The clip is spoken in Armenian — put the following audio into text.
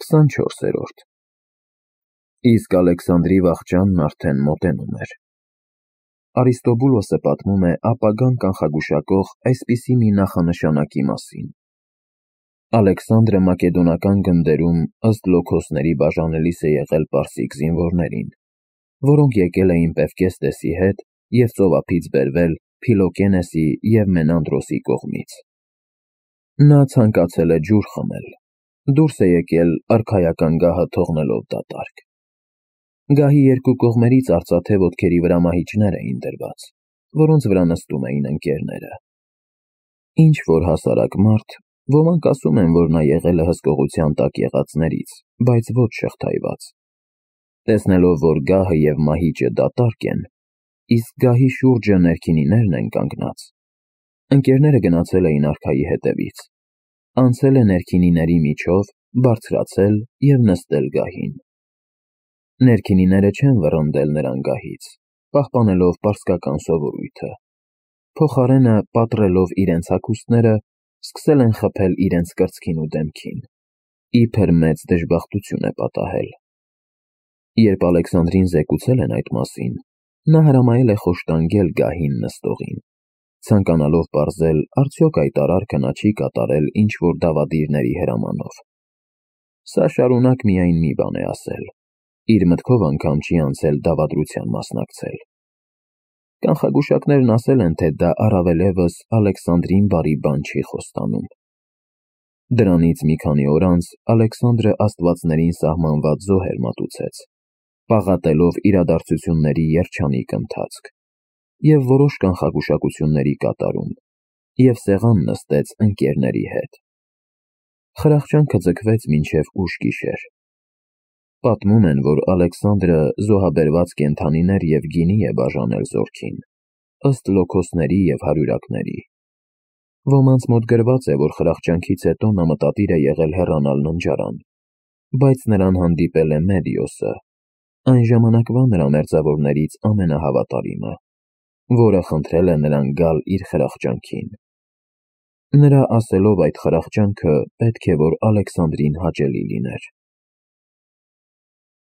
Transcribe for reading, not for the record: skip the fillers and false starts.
24-րդ Իսկ Ալեքսանդրի վախճանն արդեն մոտենում էր։ Արիստոբուլոսը պատմում է ապագան կանխագուշակող այսպիսի մի նախանշանակի մասին. Ալեքսանդրը մակեդոնական գնդերում ըստ Լոքոսների բաժանելիս է եղել պարսիկ զինվորներին, որոնք եկել էին Պևկեստեսի հետ և ծովափից բերվել Փիլոկենեսի և Մենանդրոսի կողմից։ Նա ցանկացել է ջուր խմել, դուրս է եկել արքայական գահը թողնելով դատարկ։ Գահի երկու կողմերից արծաթե ոտքերի վրա մահիճներ էին դրված, որոնց վրա նստում էին ընկերները։ Ինչ-որ հասարակ մարդ, ոմանք ասում են, որ նա եղել է հսկողության տակ եղածներից, բայց ոչ շղթայված։ Տեսնելով, որ գահը և մահիճը դատարկ են, իսկ գահի շուրջը ներքինիներն են կանգնած, ընկերները գնացել էին արքայի հետևից, անցել է ներքինիների միջով, բարձրացել և նստել գահին։ Ներքինիները չեն վռնդել նրան գահից, պահպանելով պարսկական սովորույթը, փոխարենը պատռելով իրենց հագուստները, սկսել են խփել իրենց կրծքին ու դեմքին, իբր մեծ դժբախտություն է պատահել։ Երբ Ալեքսանդրին զեկուցել են այդ մասին, նա հրամայել է խոշտանգել գահին նստողին, ցանկանալով պարզել, արդյոք այդ արարքը նա չի կատարել ինչ-որ դավադիրների հրամանով։ Սա շարունակ միայն մի բան է ասել, իր մտքով անգամ չի անցել դավադրության մասնակցել։ Կանխագուշակներն ասել են, թե դա առավելևս Ալեքսանդրին բարի բան չի խոստանում։ Դրանից մի քանի օր անց Ալեքսանդրը աստվածներին սահմանված զոհեր մատուցեց, պաղատելով իրադարձությունների երջանիկ ընթացք և որոշ կանխագուշակությունների կատարում, և սեղան նստեց ընկերների հետ։ Խրախճանքը ձգվեց մինչև ուշ գիշեր։ Պատմում են, որ Ալեքսանդրը զոհաբերված կենդանիներ և գինի է բաժանել զորքին, ըստ Լոքոսների և հարյուրակների։ Ոմանց մոտ գրված է, որ խրախճանքից հետո նա մտադիր է եղել հեռանալ ննջարան, բայց նրան հանդիպել է Մեդիոսը, այն ժամանակվա նրա մերձավորներից ամենահավատարիմը, որը խնդրել է նրան գալ իր խրախճանքին։ Նրա ասելով այդ խրախճանքը պետք է որ Ալեքսանդրին հաճելի լիներ։